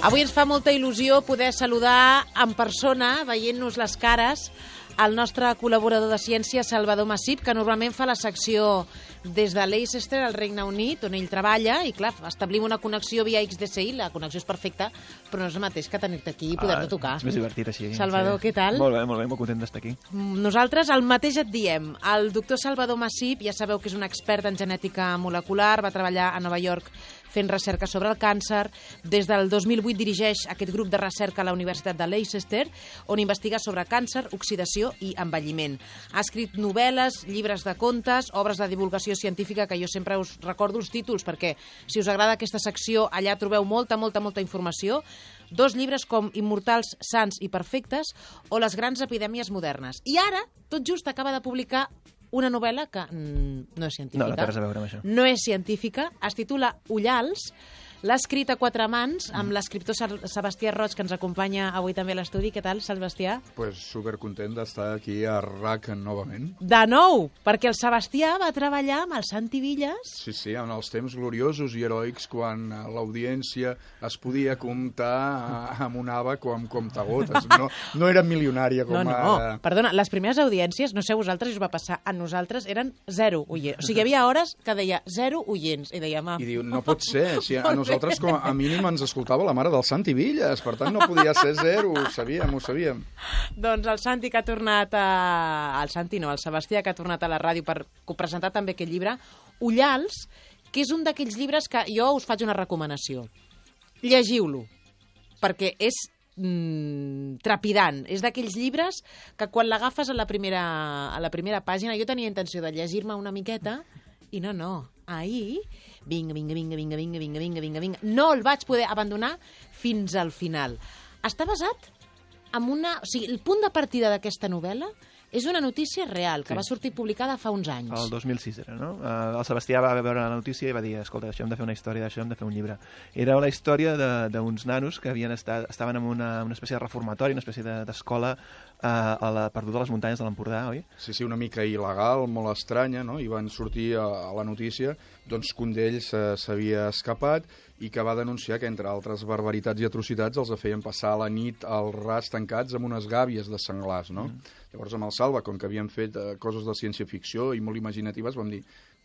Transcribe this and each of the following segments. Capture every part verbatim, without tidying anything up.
Avui ens fa molta il·lusió poder saludar en persona, veient-nos les cares, el nostre col·laborador de ciència, Salvador Massip, que normalment fa la secció des de Leicester, al Regne Unit, on ell treballa, i clar, establim una connexió via X D C I, la connexió és perfecta, però no és el mateix que tenir-te aquí i poder-te tocar. Ah, és més divertit així. Salvador, sí. Què tal? Molt bé, molt bé, molt content d'estar aquí. Nosaltres el mateix et diem. El doctor Salvador Massip, ja sabeu que és un expert en genètica molecular, va treballar a Nova York fent recerca sobre el càncer. Des del dos mil vuit dirigeix aquest grup de recerca a la Universitat de Leicester, on investiga sobre càncer, oxidació i envelliment. Ha escrit novel·les, llibres de contes, obres de divulgació científica, que jo sempre us recordo els títols, perquè si us agrada aquesta secció, allà trobeu molta, molta, molta informació. Dos llibres com Immortals, Sants i Perfectes o Les grans epidèmies modernes. I ara, tot just acaba de publicar una novel·la que mm, no és científica. No, no té res a veure amb això. No és científica, es titula Ullals, l'ha escrit a quatre mans amb l'escriptor Sebastià Roig, que ens acompanya avui també a l'estudi. Què tal, Sebastià? Pues supercontent d'estar aquí a R A C novament. De nou, perquè el Sebastià va treballar amb el Santi Villas. Sí, sí, en els temps gloriosos i heroics, quan l'audiència es podia comptar amb un àbac o amb comptagotes. No, no era milionària com no, no. ara. Perdona, les primeres audiències, no sé vosaltres si us va passar, a nosaltres eren zero oients. O sigui, hi havia hores que deia zero oients. I dèiem, ah. I diu, no pot ser, si a nosaltres com a mínim ens escoltava la mare del Santi Villas, per tant no podia ser zero, ho sabíem, ho sabíem. Doncs el Santi que ha tornat a... El Santi no, el Sebastià que ha tornat a la ràdio per presentar també aquest llibre, Ullals, que és un d'aquells llibres que jo us faig una recomanació. Llegiu-lo, perquè és mm, trepidant. És d'aquells llibres que quan l'agafes a la primera a la primera pàgina, jo tenia intenció de llegir-me una miqueta i no, no. Ahir, vinga, vinga, vinga, vinga, vinga, vinga, vinga, vinga, vinga. No el vaig poder abandonar fins al final. Està basat en una... O sigui, el punt de partida d'aquesta novel·la és una notícia real, que sí. va sortir publicada fa uns anys. El dos mil sis era, no? Uh, el Sebastià va veure la notícia i va dir, escolta, això hem de fer una història, d'això hem de fer un llibre. Era la història d'uns nanos que havien estat, estaven en una, una espècie de reformatori, una espècie d'escola uh, a la, perduda a les muntanyes de l'Empordà, oi? Sí, sí, una mica il·legal, molt estranya, no? I van sortir a, a la notícia doncs, que un d'ells uh, s'havia escapat i que va denunciar que, entre altres barbaritats i atrocitats, els feien passar la nit al ras tancats amb unes gàbies de senglars, no? Mm. Llavors, amb el Salva, com que havíem fet eh, coses de ciència-ficció i molt imaginatives, vam dir,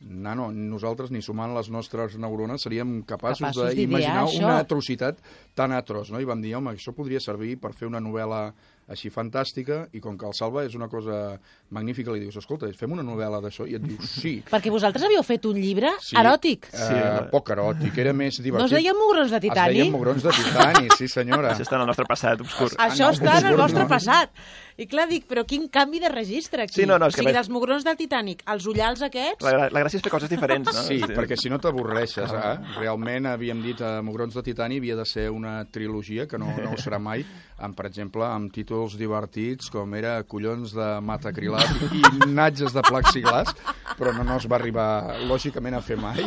nano, nosaltres, ni sumant les nostres neurones, seríem capaços, capaços d'imaginar una atrocitat tan atroç, no? I vam dir, home, això podria servir per fer una novel·la així fantàstica, i com que el Salva és una cosa magnífica, li dius, escolta, fem una novel·la d'això, i et diu, sí. Perquè vosaltres havíeu fet un llibre sí, eròtic. Sí, uh, poc eròtic, era més divertit. No es deien Mugrons de Titani? Es deien Mugrons de Titani, sí senyora. Això està en el nostre passat obscur. Això està en el vostre passat. I clar, dic, però quin canvi de registre aquí. Sí, no, no, o sigui, que... dels Mugrons del Titànic, els ullals aquests... La, la gràcia és fer coses diferents, no? Sí, sí. Perquè si no t'avorreixes, eh? Realment, havíem dit, a Mugrons de Titani havia de ser una trilogia, que no, no ho serà mai, amb, per exemple, amb títols divertits, com era Collons de matacrilat i Natges de plexiglas, però no, no es va arribar, lògicament, a fer mai.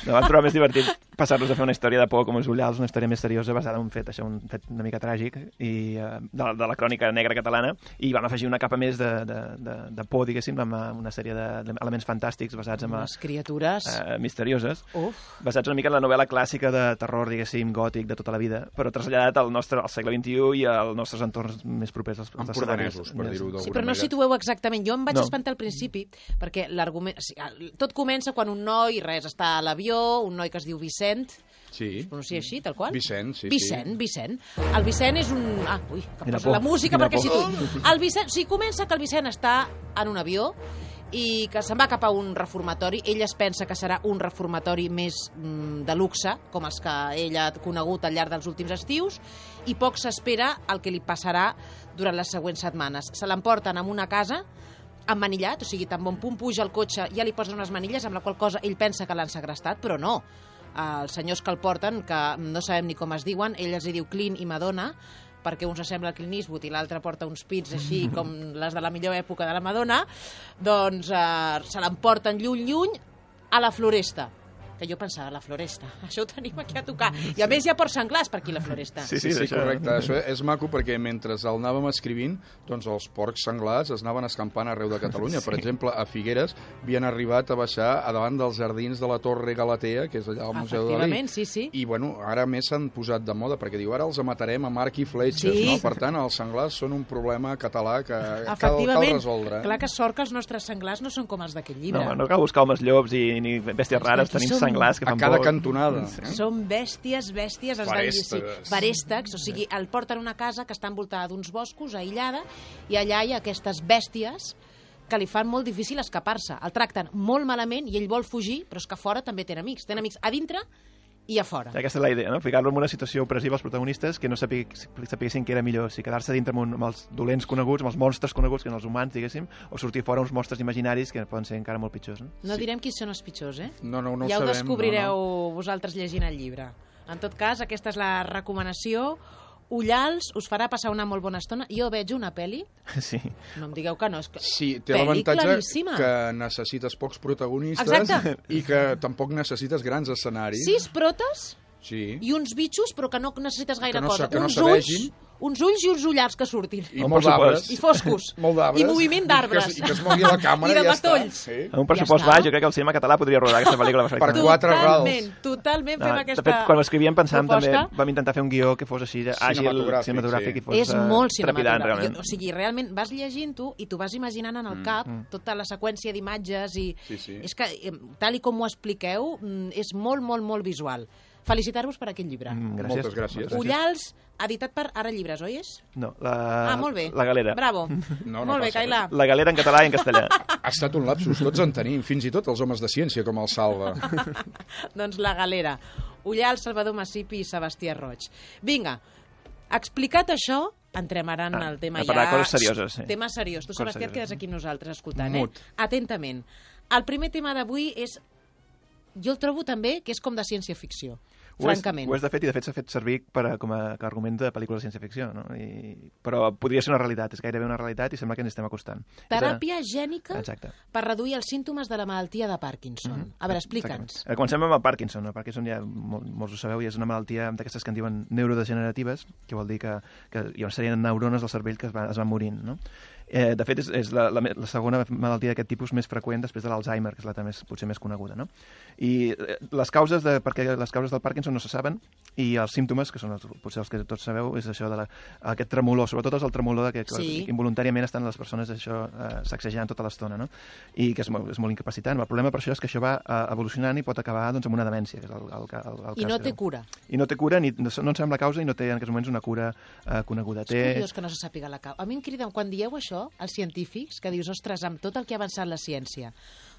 No, vam trobar més divertit passar-nos a fer una història de por com els Ullals, una història més seriosa basada en un fet, això, un fet una mica tràgic i, uh, de, la, de la crònica negra catalana, i vam afegir una capa més de, de, de, de por, diguéssim, amb una sèrie d'elements fantàstics basats en... Les criatures... Uh, misterioses, Uf. basats una mica en la novel·la clàssica de terror, diguéssim, gòtic de tota la vida, però traslladat al nostre al segle vint-i-u i als nostres entorns més propers. Als, als empordanesos, per dir-ho d'alguna Sí, però no manera. situeu exactament. Jo em vaig no. espantar al principi, perquè l'argument... Tot comença quan un noi, res, està a l'avió, un noi que es diu Vicent, sí. es pronuncia així, tal qual? Vicent, sí, Vicent, sí. Vicent. El Vicent és un... Ah, ui, que Quina posa por, la música quina perquè por. si tu... El Vicent... O sigui, comença que el Vicent està en un avió i que se'n va cap a un reformatori. Ell es pensa que serà un reformatori més mm, de luxe, com els que ell ha conegut al llarg dels últims estius, i poc s'espera el que li passarà durant les següents setmanes. Se l'emporten a una casa emmanillat, o sigui, tan bon punt puja el cotxe, ja li posen unes manilles, amb la qual cosa ell pensa que l'han segrestat, però no. Els senyors que el porten, que no sabem ni com es diuen, ell els diu Clint i Madonna, perquè un s'assembla a Clint Eastwood i l'altre porta uns pits així com les de la millor època de la Madonna, doncs eh, se l'emporten lluny, lluny, a la floresta. Que jo pensava, la Floresta, això ho tenim aquí a tocar. I a més hi ha porcs senglars per aquí, la Floresta. Sí, sí, sí, sí correcte. Això és maco perquè mentre el anàvem escrivint, doncs els porcs senglars es anaven escampant arreu de Catalunya. Sí. Per exemple, a Figueres havien arribat a baixar a davant dels jardins de la Torre Galatea, que és allà al Museu de Dalí. Sí, sí. I, bueno, ara més s'han posat de moda, perquè diu, ara els matarem a marc i fletxes, sí. no? Per tant, els senglars són un problema català que cal, cal resoldre. Clar que sort que els nostres senglars no són com els d'aquest llibre. No, no cal buscar homes llops i ni bèsties rares, tenim som... senglars que fan a cada por. cantonada. Sí. Són bèsties, bèsties. Farèstecs. Farèstecs, o sigui, el porten a una casa que està envoltada d'uns boscos, aïllada, i allà hi ha aquestes bèsties que li fan molt difícil escapar-se. El tracten molt malament i ell vol fugir, però és que a fora també té amics. Té amics a dintre i a fora. Aquesta és la idea, no? Ficar-lo en una situació opressiva als protagonistes que no sapiguessin que era millor, si quedar-se dintre amb, un, amb els dolents coneguts, amb els monstres coneguts, que són els humans, diguéssim, o sortir fora uns monstres imaginaris que poden ser encara molt pitjors. No, no sí. direm qui són els pitjors, eh? No, no, no ja ho ho sabem, descobrireu no, no. vosaltres llegint el llibre. En tot cas, aquesta és la recomanació. Ullals us farà passar una molt bona estona. Jo veig una pel·li. Sí. No em digueu que no. És que... Sí, té l'avantatge que necessites pocs protagonistes. Exacte. I que tampoc necessites grans escenaris. Sis protes sí. i uns bitxos, però que no necessites gaire que no, cosa. Que no uns ulls, uns ulls i uns ullars que surtin. I molt d'arbres. I foscos. Molt d'arbres. I moviment d'arbres. I, I que es mogui la càmera i de i ja matolls. està. Sí. En un pressupost ja baix, jo crec que el cinema català podria rodar aquesta pel·lícula. Per quatre rals. Totalment, totalment fem no, aquesta de fet, quan ho escrivíem pensàvem proposta. també, vam intentar fer un guió que fos així, àgil, cinematogràfic, cinematogràfic sí. i fos és molt trepidant, realment. Jo, o sigui, realment vas llegint-ho i tu vas imaginant en el cap mm, mm. tota la seqüència d'imatges i sí, sí. és que, tal i com ho expliqueu, és molt, molt, molt visual. Felicitar-vos per aquest llibre. Mm, gràcies. Moltes gràcies. Ullals, editat per Ara Llibres, oi és? No, la... Ah, molt bé. La Galera. Bravo. No, no molt bé, Cailà. La Galera en català i en castellà. Ha estat un lapsus, tots en tenim, fins i tot els homes de ciència, com el Salva. Doncs La Galera. Ullals, Salvador Massipi i Sebastià Roig. Vinga, explicat això, entrem ara en ah, el tema ja... A coses serioses, sí. Tema seriós. Tu, coses Sebastià, et quedes aquí amb nosaltres escoltant, Mut. eh? Atentament. El primer tema d'avui és... Jo el trobo també que és com de ciència-ficció. Ho és, francament. ho és de fet, i de fet s'ha fet servir per a, com a com a argument de pel·lícules de ciència-ficció, no? I, però podria ser una realitat, és gairebé una realitat i sembla que ens estem acostant. Teràpia de... gènica Exacte. Per reduir els símptomes de la malaltia de Parkinson. Mm-hmm. A veure, explica'ns. Eh, comencem amb el Parkinson. El Parkinson ja mol, molts ho sabeu, i és una malaltia d'aquestes que en diuen neurodegeneratives, que vol dir que, que hi ha una sèrie de neurones del cervell que es, va, es van morint, no? Eh, de fet, és, és la, la, la segona malaltia d'aquest tipus més freqüent després de l'Alzheimer, que és la més, potser més coneguda, no? I eh, les causes de, perquè les causes del Parkinson no se saben, i els símptomes, que són els, potser els que tots sabeu, és això de la, aquest tremolor, sobretot és el tremolor de que, sí. que involuntàriament estan les persones això eh, sacsejant tota l'estona, no? I que és molt, és molt incapacitant. El problema per això és que això va eh, evolucionant i pot acabar doncs, amb una demència, que és el, el, el, el I cas no té greu. cura. I no té cura, ni, no, no en sabem la causa i no té en aquests moments una cura eh, coneguda. És té... curiós que no se sàpiga la causa. A mi em crida, quan dieu això, els científics, que dius, ostres, amb tot el que ha avançat la ciència,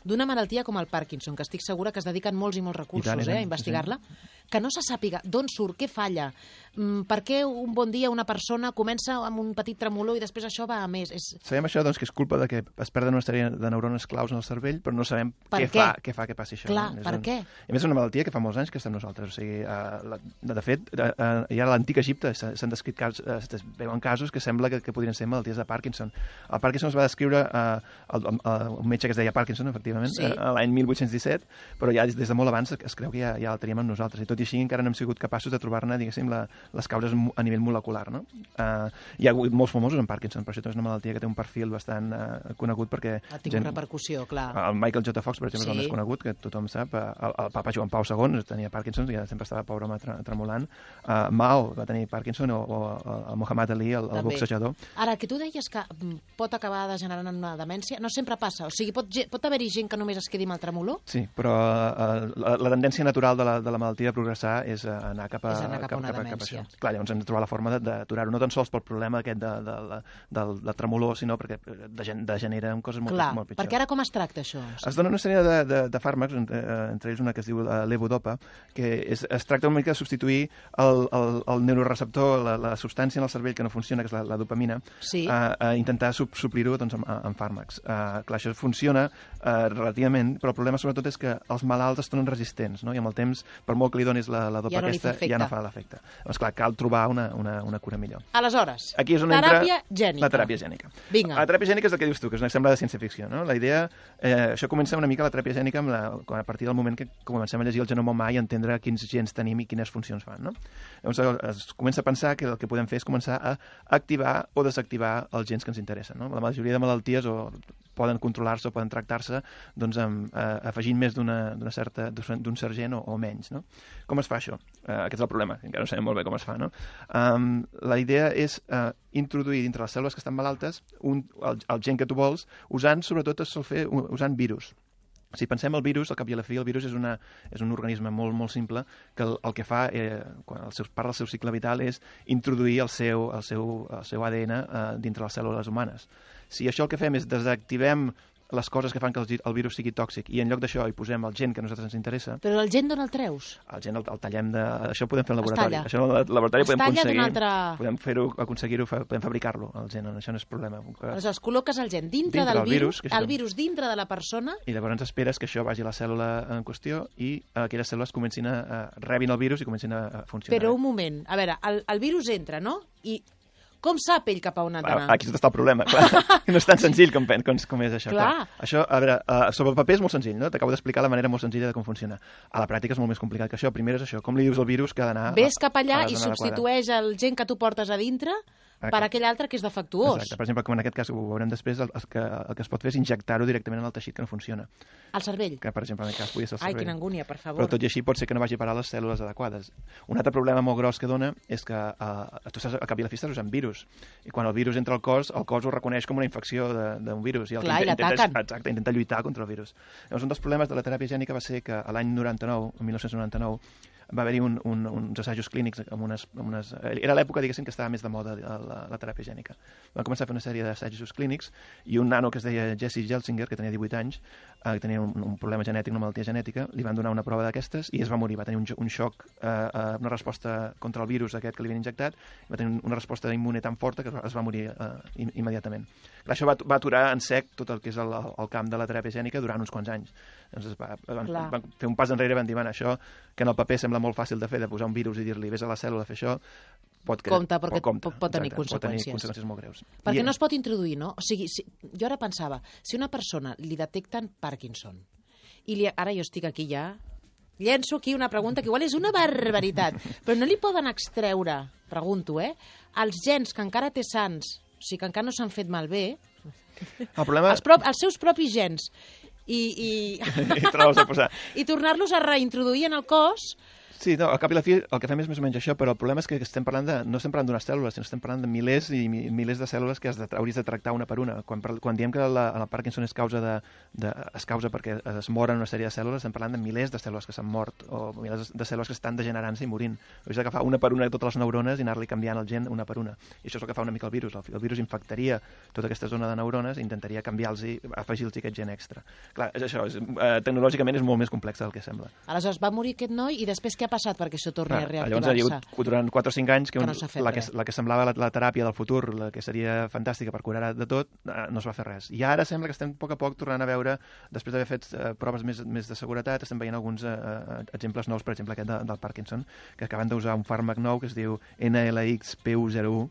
d'una malaltia com el Parkinson, que estic segura que es dediquen molts i molts recursos I tant, i tant, eh, a investigar-la, sí, sí. que no se sàpiga d'on surt, què falla, mm, per què un bon dia una persona comença amb un petit tremolor i després això va a més. És... Sabem això, doncs, que és culpa de que es perden una sèrie de neurones claus en el cervell, però no sabem per què, què? Fa, què fa que passi això. Clar, no? per un... què? A més, és una malaltia que fa molts anys que està amb nosaltres. O sigui, uh, la, de, de fet, uh, uh, ja a l'antic Egipte s'han descrit casos, uh, es veuen casos que sembla que, que podrien ser malalties de Parkinson. El Parkinson es va descriure uh, el, uh, un metge que es deia Parkinson, efectivament, sí. uh, l'any mil vuit-cents disset, però ja des de molt abans es creu que ja, ja el teníem amb nosaltres. I tot i així encara no hem sigut capaços de trobar-ne, diguéssim, la, les causes a nivell molecular, no? Uh, hi ha hagut molts famosos en Parkinson, per això és una malaltia que té un perfil bastant uh, conegut perquè... Ha tingut gent, repercussió, clar. El Michael J. Fox, per exemple, sí. és el més conegut, que tothom sap. El, el papa Joan Pau segon tenia Parkinson, i ja sempre estava pobre home tremolant. Uh, Mao va tenir Parkinson, o, o el Muhammad Ali, el, el boxejador. Ara, que tu deies que pot acabar degenerant en una demència, no sempre passa. O sigui, pot, pot haver-hi gent que només es quedi amb el tremolor? Sí, però uh, la, la tendència natural de la, de la malaltia de progressar és uh, anar cap a, és anar cap a cap, una cap, demència. Cap a això. Clar, llavors hem de trobar la forma d'aturar-ho, no tan sols pel problema aquest de, de, de, del, del tremolor, sinó perquè degenera en coses molt, Clar, molt pitjors. Perquè ara com es tracta això? Es dona una sèrie de, de, de fàrmacs, entre, entre ells una que es diu levodopa, que és, es tracta una mica de substituir el, el, el neuroreceptor, la, la substància en el cervell que no funciona, que és la, la dopamina, sí. a, a intentar sub, suplir-ho doncs, amb, amb fàrmacs. Uh, clar, això funciona uh, relativament, però el problema sobretot és que els malalts es tornen resistents, no? I amb el temps, per molt que li donis la, la dopa ja no aquesta, ja no fa l'efecte. Doncs clar, cal trobar una, una, una cura millor. Aleshores, aquí és on teràpia entra gènica. La teràpia gènica. Vinga. La teràpia gènica és el que dius tu, que és una sembla de ciència-ficció, no? La idea, eh, això comença una mica la teràpia gènica amb la, a partir del moment que comencem a llegir el genoma humà i entendre quins gens tenim i quines funcions fan, no? Llavors es comença a pensar que el que podem fer és començar a activar o desactivar els gens que ens interessen, no? La majoria de malalties o poden controlar-se o poden tractar-se doncs, amb, eh, afegint més d'una certa d'un cert gen o, o menys, no? Com es fa això? Eh, aquest és el problema, encara no sabem molt bé com es fa, no? Um, la idea és eh, introduir dintre les cèl·lules que estan malaltes un, el, el gen que tu vols, usant, sobretot, es sol fer usant virus. Si pensem el virus, al cap i a la fi, el virus és, una, és un organisme molt, molt simple que el, el que fa, eh, quan el seu, part del seu cicle vital, és introduir el seu, el seu, el seu A D N eh, dintre les cèl·lules humanes. Si això el que fem és desactivem les coses que fan que el, el virus sigui tòxic i en lloc d'això hi posem el gen que a nosaltres ens interessa... Però el gen d'on el treus? El gen el, el tallem de... Això ho podem fer al laboratori. Es això al laboratori podem aconseguir... Altra... Podem fer-ho, aconseguir-ho, podem fabricar-lo, el gen, això no és problema. Aleshores, col·loques el gen dintre, dintre del virus, virus el virus dintre de la persona... I llavors esperes que això vagi a la cèl·lula en qüestió i aquelles cèl·lules comencin a, a rebin el virus i comencin a, a funcionar. Però un moment, a veure, el, el virus entra, no? I... Com sap ell cap a on ha d'anar? Aquí és on està el problema, clar. No és tan senzill com, com, com és això. Clar. Clar. Això, a veure, uh, sobre el paper és molt senzill, no? T'acabo d'explicar la manera molt senzilla de com funciona. A la pràctica és molt més complicat que això. Primer és això, com li dius al virus que ha d'anar... Ves cap allà i substitueix el gen que tu portes a dintre per aquell altre que és defectuós. Exacte. Per exemple, com en aquest cas, ho veurem després, el, el, que, el que es pot fer és injectar-ho directament en el teixit que no funciona. Al cervell? Que, per exemple, en aquest cas podria ser el cervell. Ai, quina angúnia, per favor. Però tot i així pot ser que no vagi a parar les cèl·lules adequades. Un altre problema molt gros que dona és que uh, tu saps, a cap i a la fi estàs usant virus. I quan el virus entra al cos, el cos ho reconeix com una infecció d'un virus. I el Clar, que i l'ataquen. Exacte, intenta lluitar contra el virus. Llavors, un dels problemes de la teràpia gènica va ser que l'any noranta-nou, el mil nou-cents noranta-nou, va haver-hi un, un, uns assajos clínics amb unes... Amb unes era l'època, diguéssim, que estava més de moda la, la teràpia gènica. Van començar a fer una sèrie d'assajos clínics i un nano que es deia Jesse Gelsinger, que tenia divuit anys, eh, que tenia un, un problema genètic, una malaltia genètica, li van donar una prova d'aquestes i es va morir. Va tenir un, un xoc, eh, una resposta contra el virus aquest que li havien injectat, va tenir una resposta immune tan forta que es va morir eh, immediatament. Clar, això va, va aturar en sec tot el que és el, el camp de la teràpia gènica durant uns quants anys. Doncs va, van, van fer un pas enrere i van dir, bueno, això que en el paper sembla molt fàcil de fer, de posar un virus i dir-li vés a la cèl·lula a fer això, pot, compte, perquè pot, compte, pot, pot tenir exacte, conseqüències. Pot tenir conseqüències molt greus. Perquè I, no es pot introduir, no? O sigui, si, jo ara pensava, si una persona li detecten Parkinson, i li, ara jo estic aquí ja, llenço aquí una pregunta que igual és una barbaritat, però no li poden extreure, pregunto, eh, els gens que encara té sants, o sigui, que encara no s'han fet malbé, el problema... els, prop, els seus propis gens, i, i... I, i tornar-los a reintroduir en el cos... Sí, no, al cap i la fi el que fem és més o menys això, però el problema és que estem parlant de, no estem parlant d'unes cèl·lules, sinó estem parlant de milers i mi, milers de cèl·lules que has de, hauries de tractar una per una. Quan, quan diem que la, la Parkinson es causa, de, de, es causa perquè es moren una sèrie de cèl·lules, estem parlant de milers de cèl·lules que s'han mort o milers de cèl·lules que estan degenerant-se i morint. Hauries d'agafar una per una totes les neurones i anar-li canviant el gen una per una. I això és el que fa una mica el virus. El, el virus infectaria tota aquesta zona de neurones i intentaria canviar-los i afegir-los aquest gen extra. Clar, és això, és, eh, tecnològicament és molt més complex del que sembla. Aleshores va morir aquest noi i després què ha passat perquè això torni a llavors ha hagut durant quatre o cinc anys que, que un, no la, que, la que semblava la, la teràpia del futur, la que seria fantàstica per curar de tot, no es va fer res. I ara sembla que estem a poc a poc tornant a veure, després d'haver fet uh, proves més, més de seguretat, estem veient alguns uh, exemples nous, per exemple aquest de, del Parkinson, que acaben d'usar un fàrmac nou que es diu N L X P U zero u,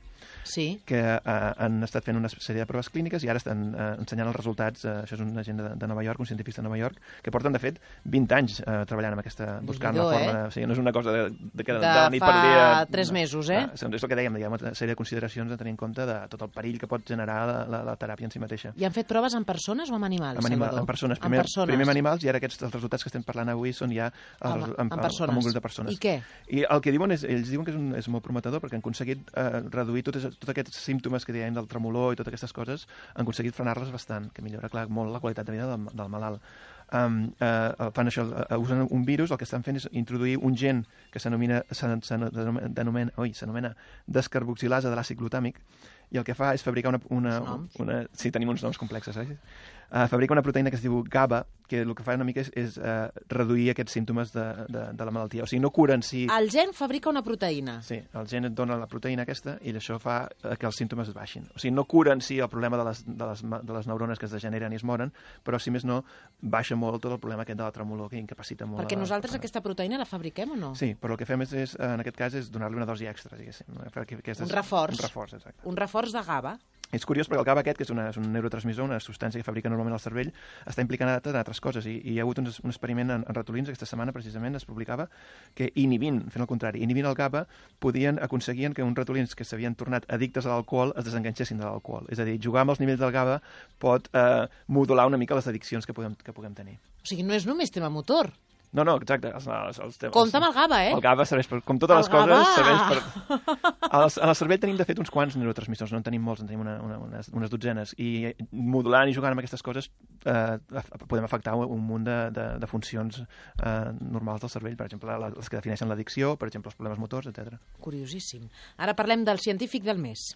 sí. que uh, han estat fent una sèrie de proves clíniques i ara estan uh, ensenyant els resultats. Uh, això és una gent de, de Nova York, un científic de Nova York, que porten, de fet, vint anys uh, treballant amb aquesta, buscant la forma... Eh? O sigui, no és una cosa de, de, de, de, de la nit per dia... De tres mesos, eh? Uh, és el que dèiem, diguem, una sèrie de consideracions a tenir en compte de tot el perill que pot generar la, la, la teràpia en si mateixa. I han fet proves en persones o en animals, amb animal, Salvador? En persones. Primer, en persones. Primer amb animals i ara aquests els resultats que estem parlant avui són ja els, amb, amb, amb, persones. amb un grup de persones. I què? I el que diuen és, ells diuen que és, un, és molt prometedor perquè han aconseguit uh, reduir tots, tots aquests símptomes que dèiem del tremolor i totes aquestes coses, han aconseguit frenar-les bastant, que millora, clar, molt la qualitat de vida del, del malalt. Um, uh, fan això, uh, usen un virus, el que estan fent és introduir un gen que s'anomena s'anomena oi, s'anomena descarboxilasa de l'àcid glutàmic i el que fa és fabricar una... una, una sí, tenim uns noms complexes, eh? Uh, fabrica una proteïna que es diu GABA, que el que fa una mica és, és uh, reduir aquests símptomes de, de, de la malaltia. O sigui, no cura en si... El gen fabrica una proteïna. Sí, el gen et dona la proteïna aquesta i això fa que els símptomes es baixin. O sigui, no cura en si el problema de les, de les, de les neurones que es degeneren i es moren, però si més no, baixa molt tot el problema aquest de la tremolor que incapacita molt. Perquè la, nosaltres la... aquesta proteïna la fabriquem o no? Sí, però el que fem és, és en aquest cas és donar-li una dosi extra, diguéssim. Un reforç. Un reforç, exacte. Un reforç de GABA. És curiós perquè el GABA aquest, que és, una, és un neurotransmissor, una substància que fabrica normalment el cervell, està implicada en altres coses. I, i hi ha hagut un, un experiment en, en ratolins, aquesta setmana precisament es publicava, que inhibint, fent el contrari, inhibint el GABA, podien, aconseguien que uns ratolins que s'havien tornat addictes a l'alcohol es desenganxessin de l'alcohol. És a dir, jugar amb els nivells del GABA pot eh, modular una mica les addiccions que puguem, que puguem tenir. O sigui, no és només tema motor. No, no, exacte. Els, els, els temes, compte amb el GABA, eh? El GABA serveix per... Com totes el les coses, GABA. serveix per... En el, en el cervell tenim, de fet, uns quants neurotransmissors. No en tenim molts, en tenim una, una, unes, unes dotzenes. I modulant i jugant amb aquestes coses eh, podem afectar un munt de, de, de funcions eh, normals del cervell. Per exemple, les que defineixen l'addicció, per exemple, els problemes motors, etcètera. Curiosíssim. Ara parlem del científic del mes.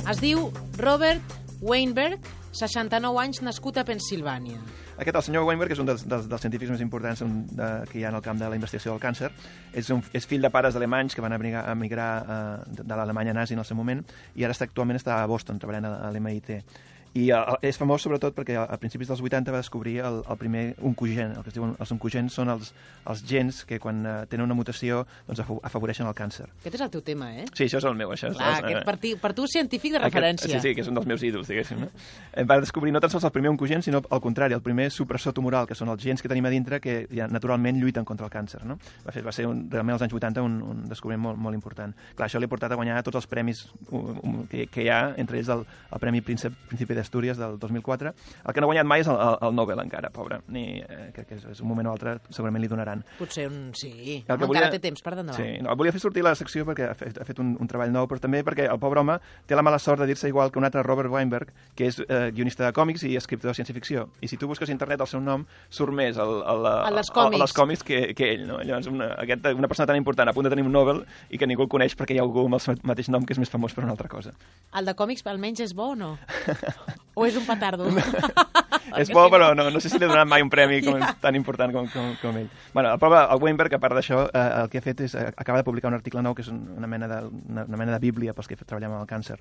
Es diu Robert Weinberg, seixanta-nou anys, nascut a Pennsilvània. Aquest, el senyor Weinberg, és un dels, dels, dels científics més importants de, que hi ha en el camp de la investigació del càncer. És, un, és fill de pares alemanys que van emigrar, emigrar uh, de, de l'Alemanya nazi en el seu moment i ara està, actualment està a Boston, treballant a, a l'M I T. I uh, és famós sobretot perquè a principis dels vuitanta va descobrir el, el primer oncogen. El que es diuen els oncogens són els, els gens que quan uh, tenen una mutació doncs, afavoreixen el càncer. Aquest és el teu tema, eh? Sí, això és el meu. Això és, Clar, és, aquest per, ti, per tu científic de referència. Aquest, sí, sí, que és un dels meus ídols, diguéssim. No? Va descobrir no tan sols el primer oncogen, sinó al contrari, el primer supressor tumoral, que són els gens que tenim a dintre que ja naturalment lluiten contra el càncer. No? Va, fer, va ser un, realment als anys vuitanta un, un descobriment molt, molt important. Clar, això li ha portat a guanyar tots els premis um, um, que, que hi ha, entre ells el, el Premi Príncep, Príncipe d'Astúries del dos mil quatre. El que no ha guanyat mai és el, el, el Nobel encara, pobre. Ni, eh, que, que és, és un moment o altre segurament li donaran. Potser un... Sí, el que volia... encara té temps per endavant. Sí, no, volia fer sortir la secció perquè ha fet, ha fet un, un treball nou, però també perquè el pobre home té la mala sort de dir-se igual que un altre Robert Weinberg, que és eh, guionista de còmics i escriptor de ciència-ficció. I si tu busques a internet el seu nom, surt més el, el, el, a les còmics, a les còmics que, que ell. No? Llavors, una, aquest, una persona tan important a punt de tenir un Nobel i que ningú el coneix perquè hi ha algú amb el mateix nom que és més famós per una altra cosa. El de còmics almenys és bo o no? O és un petardo? És bo, però no, no sé si li he donat mai un premi com, ja. tan important com, com, com ell. Bueno, el, pobre, el Weinberg, a part d'això, eh, el que ha fet és, eh, acaba de publicar un article nou que és una mena de, una, una mena de bíblia pels que treballem amb el càncer,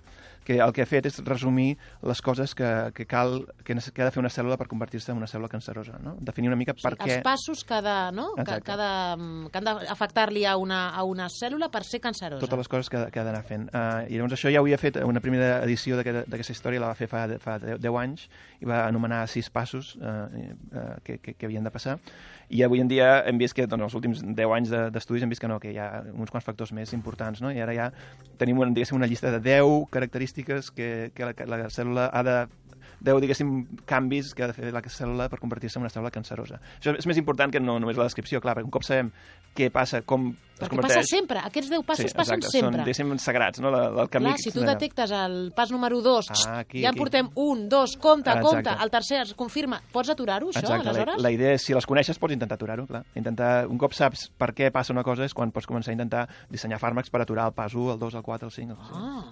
que el que ha fet és resumir les coses que, que cal, que, que ha de fer una cèl·lula per convertir-se en una cèl·lula cancerosa, no? Definir una mica per sí, què... Els passos que, de, no? que, que, de, que han d'afectar-li a, una, a una cèl·lula per ser cancerosa. Totes les coses que, que ha d'anar fent. Uh, I llavors això ja ho havia fet, una primera edició d'aquesta història la va fer fa, fa deu anys i va anomenar sis passos uh, uh, que, que, que havien de passar. I avui en dia hem vist que doncs, els últims deu anys d'estudis hem vist que no, que hi ha uns quants factors més importants, no? I ara ja tenim una, una llista de deu característiques que, que la, la cèl·lula ha de deu, diguéssim, canvis que ha de fer la cèl·lula per convertir-se en una cèl·lula cancerosa. Això és més important que no només la descripció, clar, perquè un cop sabem què passa, com es perquè converteix... passa sempre, aquests deu passos sí, passen exacte, sempre. Són, diguéssim, sagrats, no? La, el camí... Clar, si tu detectes el pas número dos, ah, aquí, ja aquí. portem un, dos, compte, ah, compte, el tercer es confirma. Pots aturar-ho, això, exacte, aleshores? La, la idea és, si les coneixes, pots intentar aturar-ho, clar. Intentar, un cop saps per què passa una cosa és quan pots començar a intentar dissenyar fàrmacs per aturar el pas u, el dos, el quatre, el cinc... El ah.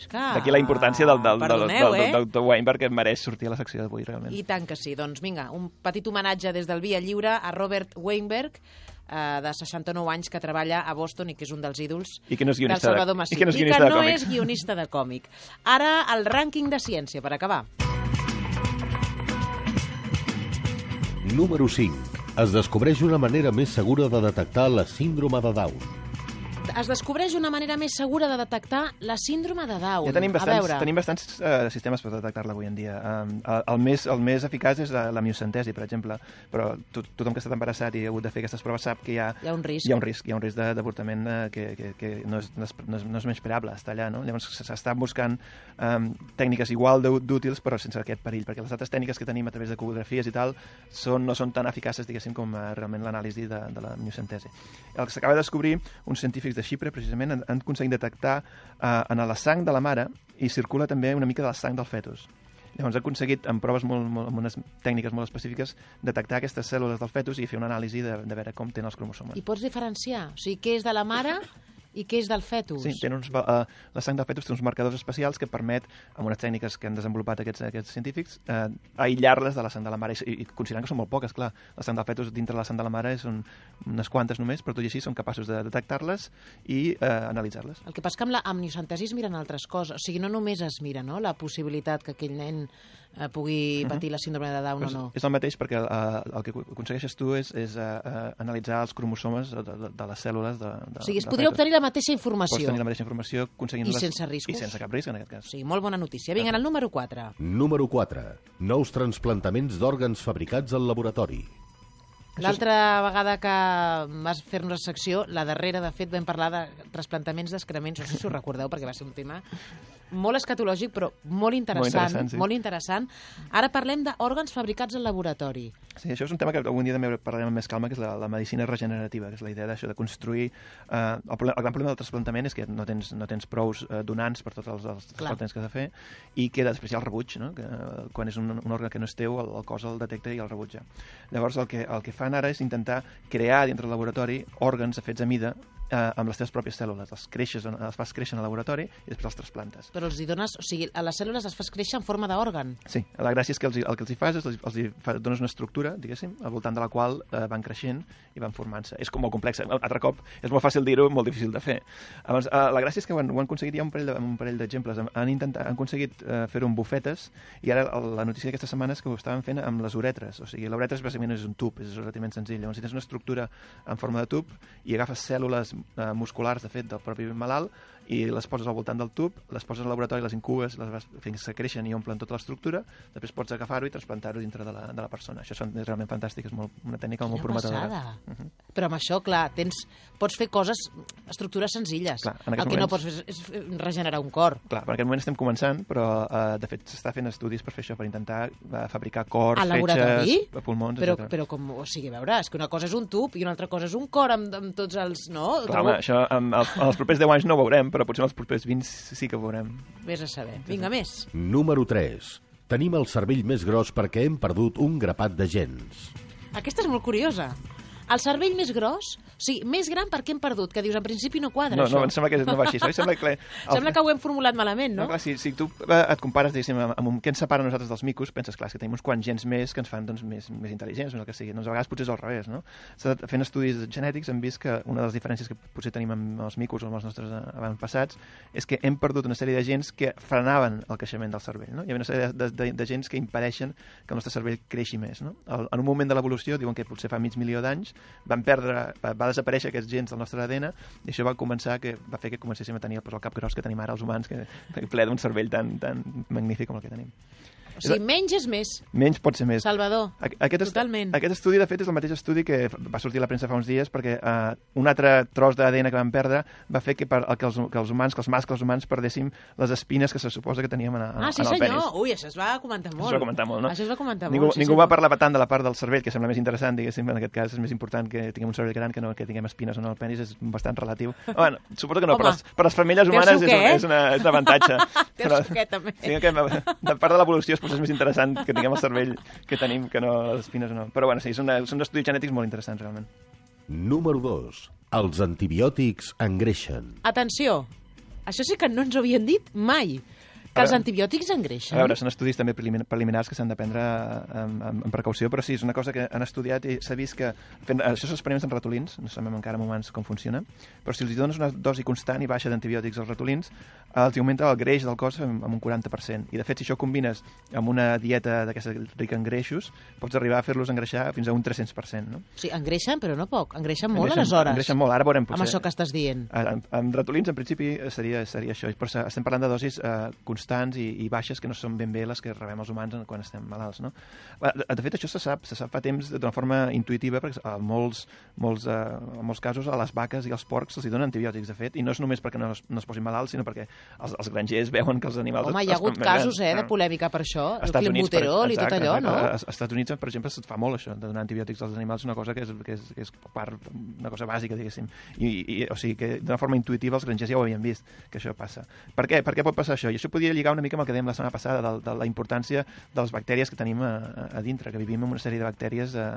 D'aquí la importància del, del, Perdoneu, del, del, eh? del doctor Weinberg, que mereix sortir a la secció d'avui, realment. I tant que sí. Doncs vinga, un petit homenatge des del Via Lliure a Robert Weinberg, eh, de seixanta-nou anys, que treballa a Boston i que és un dels ídols I que no és del guionista Salvador de, Masip. I que no és I guionista que de no còmics. és guionista de còmic. Ara, el rànquing de ciència, per acabar. Número cinc. Es descobreix una manera més segura de detectar la síndrome de Down. Es descobreix una manera més segura de detectar la síndrome de Down. Ja tenim bastants, a veure... tenim bastants uh, sistemes per detectar-la avui en dia. Um, el, el, més, el més eficaç és la, la miocentesi, per exemple, però to, tothom que ha estat embarassat i ha hagut de fer aquestes proves sap que hi ha, hi ha un risc, hi ha un risc, hi ha un risc d'avortament uh, que, que, que no, és, no, és, no, és, no és menyspreable, està allà. No? Llavors s'estan buscant um, tècniques igual d'útils però sense aquest perill, perquè les altres tècniques que tenim a través d'ecografies i tal són, no són tan eficaces, diguéssim, com uh, realment l'anàlisi de, de la miocentesi. El que s'acaba de descobrir uns científics de Xipre, precisament, han, han aconseguit detectar uh, en la sang de la mare i circula també una mica de la sang del fetus. Llavors ha aconseguit, amb proves molt, molt, amb unes tècniques molt específiques, detectar aquestes cèl·lules del fetus i fer una anàlisi de, de veure com tenen els cromosomes. I pots diferenciar? O sigui, què és de la mare I què és del fetus? Sí, tenen uns, uh, la sang del fetus té uns marcadors especials que permet, amb unes tècniques que han desenvolupat aquests, aquests científics, uh, aïllar-les de la sang de la mare. I, i considerant que són molt poques, clar. La sang del fetus dintre la sang de la mare són unes quantes només, però tot i així són capaços de detectar-les i uh, analitzar-les. El que passa que amb la amniocentesi es miren altres coses. O sigui, no només es mira, no?, la possibilitat que aquell nen eh, pugui patir uh -huh. la síndrome de Down pues o no. És el mateix, perquè uh, el que aconsegueixes tu és, és uh, uh, analitzar els cromosomes de, de, de les cèl·lules de, de, o sigui, es de podria fetus. obtenir la mateixa informació. Pots tenir la mateixa informació aconseguint-les... I sense riscos. I sense cap risc, en aquest cas. O sigui, molt bona notícia. Vinga, el número quatre. Número quatre. Nous transplantaments d'òrgans fabricats al laboratori. L'altra vegada que vas fer-nos la secció, la darrera, de fet, vam parlar de trasplantaments d'excrements, no sé si us recordeu, perquè va ser un tema molt escatològic, però molt interessant. Molt interessant, sí. Molt interessant. Ara parlem d'òrgans fabricats al laboratori. Sí, això és un tema que algun dia també parlarem amb més calma, que és la, la medicina regenerativa, que és la idea d'això de construir... Eh, el, problema, el gran problema del trasplantament és que no tens, no tens prous eh, donants per tots els, els trasplantaments que has de fer, i queda després hi ha el rebuig, no? Que, eh, quan és un, un òrgan que no és teu, el, el cos el detecta i el rebutja. Llavors, el que, el que fan ara és intentar crear dintre del laboratori òrgans fets a mida eh, amb les teves pròpies cèl·lules. Els creixes, els fas créixer al laboratori i després els trasplantes. Però els hi dones... O sigui, a les cèl·lules les fas créixer en forma d'òrgan. Sí, la gràcia és que els, el que els hi fas és els, els hi fa, dones una estructura, diguéssim, al voltant de la qual eh, van creixent i van formant-se. És com molt complex. Un altre cop, és molt fàcil dir-ho, molt difícil de fer. Llavors, eh, la gràcia és que ho han, ho han aconseguit, hi ha un parell, de, un parell d'exemples. Han, intentat, han aconseguit eh, fer-ho amb bufetes i ara la notícia d'aquesta setmana és que ho estaven fent amb les uretres. O sigui, l'uretra bàsicament és un tub, és relativament senzill. Llavors, si tens una estructura en forma de tub i agafes cèl·lules eh, musculars, de fet, del propi malalt, i les poses al voltant del tub, les poses al laboratori, les incubes, les vas, fins que creixen i omplen tota l'estructura, després pots agafar-ho i transplantar-ho dintre de la, de la persona. Això és realment fantàstic, és molt, una tècnica molt prometedora. Uh -huh. Però amb això, clar, tens, pots fer coses, estructures senzilles. Clar, el que moments, no pots fer és, és regenerar un cor. Clar, en aquest moment estem començant, però eh, de fet s'està fent estudis per fer això, per intentar eh, fabricar cors, fetges, pulmons, però, etcètera. Però com, o sigui, a veure, és que una cosa és un tub i una altra cosa és un cor amb, amb tots els... No? Clar, home, això amb els, els propers deu anys no ho veurem, però potser els propers vint sí que ho veurem. Vés a saber. Vinga, més. Número tres. Tenim el cervell més gros perquè hem perdut un grapat de gens. Aquesta és molt curiosa. El cervell més gros, o sigui, més gran perquè hem perdut, que dius, en principi no quadra, no, això. No, em sembla que no va així. Això sembla que, el... sembla que ho hem formulat malament, no? No, clar, si, si tu et compares, diguéssim, amb, amb què ens separa nosaltres dels micos, penses, clar, que tenim uns quants gens més que ens fan doncs, més, més intel·ligents, o el que sigui. Doncs a vegades potser és al revés, no? Fent estudis genètics hem vist que una de les diferències que potser tenim amb els micos o amb els nostres avantpassats és que hem perdut una sèrie de gens que frenaven el creixement del cervell, no? Hi ha una sèrie de, de, de gens que impedeixen que el nostre cervell creixi més, no? En un moment de l'evolució, diuen que potser fa mig milió d'anys, van perdre va desaparèixer aquests gens del nostre A D N i això va començar que va fer que comencéssim a tenir pues, el cap gros que tenim ara els humans, que, que ple d'un cervell tan, tan magnífic com el que tenim. O sigui, menys és més. Menys pot ser més. Salvador, aquest totalment. Aquest estudi, de fet, és el mateix estudi que va sortir a la premsa fa uns dies perquè uh, un altre tros d'A D N que vam perdre va fer que, per, que, els, que els humans, que els mascles humans perdéssim les espines que se suposa que teníem en, en, ah, sí, en el senyor. penis. Ui, això es va comentar molt. Això es va comentar molt, no? Això es va comentar ningú, molt. Sí, ningú sí, va parlar tant de la part del cervell, que sembla més interessant, diguéssim, en aquest cas és més important que tinguem un cervell gran que no que tinguem espines o no al penis, és bastant relatiu. Bueno, suposo que no, per les, per les femelles humanes és, un, és, una, és un avantatge. Té el suquet, també. Sí, que, de part de l'evolució és més interessant que tinguem el cervell que tenim, que no les espines o no. Però bueno, sí, són, són estudis genètics molt interessants, realment. Número dos. Els antibiòtics engreixen. Atenció, això sí que no ens ho havien dit mai. Que els antibiòtics engreixen. A veure, són estudis també preliminars que s'han de prendre amb, amb, amb precaució, però sí, és una cosa que han estudiat i s'ha vist que... Fent, això s'experiments en ratolins, no sabem encara en humans com funciona, però si els dones una dosi constant i baixa d'antibiòtics als ratolins, els augmenta el greix del cos amb, amb un quaranta per cent. I, de fet, si això ho combines amb una dieta d'aquesta rica en greixos, pots arribar a fer-los engreixar fins a un tres-cents per cent, no? Sí, engreixen, però no poc. Engreixen molt, engreixen, aleshores. Engreixen molt, ara veurem potser... Amb això que estàs dient. En, en ratolins, en principi, seria, seria això. Però estem parlant de dosis eh, constants i, i baixes que no són ben bé les que rebem els humans quan estem malalts, no? De fet, això se sap, se sap fa temps d'una forma intuïtiva, perquè en molts, molts, eh, en molts casos a les vaques i als porcs se'ls donen antibiòtics, de fet, i no és només perquè no es, no es posin malalts, sinó perquè els, els grangers veuen que els animals... Home, hi ha hagut casos, eh, de polèmica per això, el clenbuterol i tot allò, no? Als Estats Units, per exemple, es fa molt això, de donar antibiòtics als animals, una cosa que és, que és, que és part, una cosa bàsica, diguéssim. I, i, o sigui, que d'una forma intuïtiva els grangers ja ho havien vist, que això passa. Per què? Per què pot passar això? I això podria lligar una mica amb el que dèiem la setmana passada, de, de la importància de les bactèries que tenim a, a dintre, que vivim amb una sèrie de bactèries eh,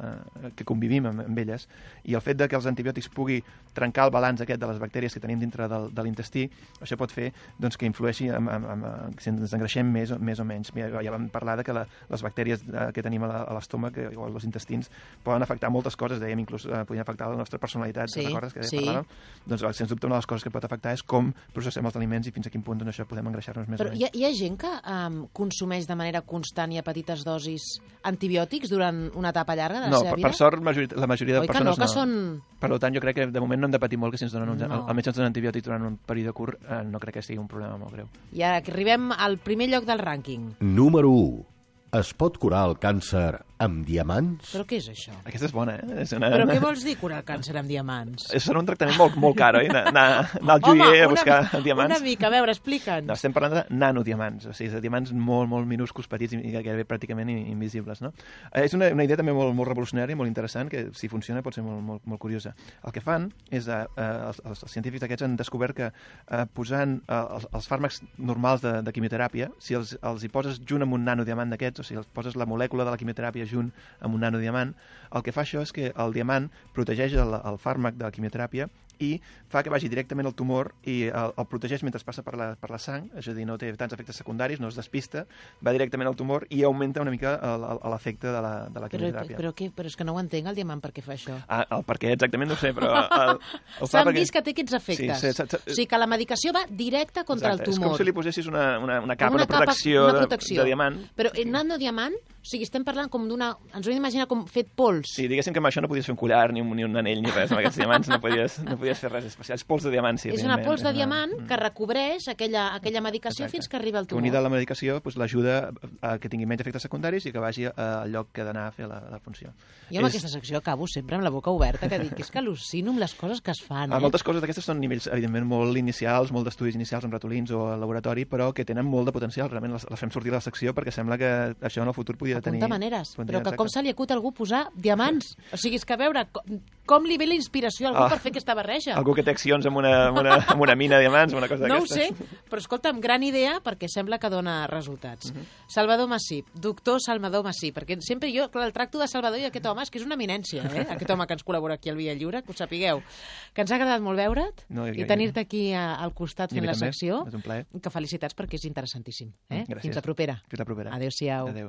que convivim amb, amb elles, i el fet de que els antibiòtics pugui trencar el balanç aquest de les bactèries que tenim dintre del, de l'intestí, això pot fer doncs, que influeixi en, en, en, en, si ens engreixem més, més o menys. Ja, ja vam parlar de que la, les bactèries que tenim a l'estómac o als intestins poden afectar moltes coses, dèiem inclús eh, podien afectar la nostra personalitat, sí, recordes que sí. parlàvem? Doncs sens dubte una de les coses que pot afectar és com processem els aliments i fins a quin punt doncs, això podem engreixar-nos més Però o menys. hi ha, hi ha gent que um, consumeix de manera constant i a petites dosis antibiòtics durant una etapa llarga de la no, seva per, vida? per sort majori, la majoria de Oi que persones no, que no. són... Per tant, jo crec que de moment no hem de patir molt que si ens donen un, No. el, el metge ens dona antibiòtics durant un període curt, eh, no crec que sigui un problema molt greu. I ara que arribem al primer lloc del rànquing. Número u. Es pot curar el càncer amb diamants? Però què és això? Aquesta és bona, eh? És una, Però què vols dir curar el càncer amb diamants? És un tractament molt, molt car, oi? Anar, anar, anar al joier a buscar una, diamants. una mica, a veure, explica'ns. No, estem parlant de nanodiamants, o sigui, de diamants molt, molt minúsculs, petits i gairebé pràcticament invisibles, no? Eh, és una, una idea també molt, molt revolucionària, molt interessant, que si funciona pot ser molt, molt, molt curiosa. El que fan és, eh, els, els científics aquests han descobert que eh, posant eh, els, els fàrmacs normals de, de quimioteràpia, si els, els hi poses junt amb un nanodiamant d'aquests, o sigui, els poses la molècula de la quimioteràpia junt amb un nanodiamant, el que fa això és que el diamant protegeix el, el fàrmac de la quimioteràpia i fa que vagi directament al tumor i el, el protegeix mentre passa per la, per la sang, és a dir, no té tants efectes secundaris, no es despista, va directament al tumor i augmenta una mica l'efecte de la, de la Però, quimioteràpia. però, què, però és que no ho entenc, el diamant, per què fa això. Ah, el per què exactament no ho sé, però... El, el fa S'han perquè... vist que té aquests efectes. Sí, sí, sí, o sigui, que la medicació va directa contra Exacte. el tumor. És com si li posessis una, una, una capa una de protecció, capa, una protecció. De, de diamant. Però el nanodiamant, o sigui, estem parlant com d'una... Ens ho hem d'imaginar com fet pols. Sí, diguéssim que amb això no podies fer un collar, ni un, ni un anell, ni res. Amb aquests diamants no podies, no podies fer res especial. És pols de diamant, sí. És una pols de és diamant una... que recobreix aquella, aquella medicació Exacte. fins que arriba al Que tumor. unida a la medicació doncs, l'ajuda a que tingui menys efectes secundaris i que vagi al lloc que ha d'anar a fer la, la funció. Jo amb és... aquesta secció acabo sempre amb la boca oberta, que dic, és que al·lucino amb les coses que es fan. Ah, Eh? moltes coses d'aquestes són nivells, evidentment, molt inicials, molt d'estudis inicials amb ratolins o al laboratori, però que tenen molt de potencial. Realment les, les fem sortir de la secció perquè sembla que això en el futur podia tenir... Apunta maneres, Podria, però que exacte. com se li acut a algú posar diamants? O sigui, és que a veure, com, com li ve la inspiració a algú Ah, per fer aquesta barreja? Algú que té accions amb una, amb una, amb una mina de diamants, una cosa No ho d'aquestes. sé, però escolta'm, gran idea perquè sembla que dona resultats. Uh -huh. Salvador Massip, doctor Salvador Massip, perquè sempre jo, clar, el tracto de Salvador i aquest home és que és una eminència, eh? Aquest home que ens col·labora aquí al Via Lliure, que ho sapigueu. Que ens ha agradat molt veure't No, i jo- tenir-te aquí a, al costat I a fent mi la també, secció. és un plaer. Que felicitats perquè és interessantíssim. Eh? Gràcies. Fins la propera. Fins la propera. Adéu-siau. Adéu.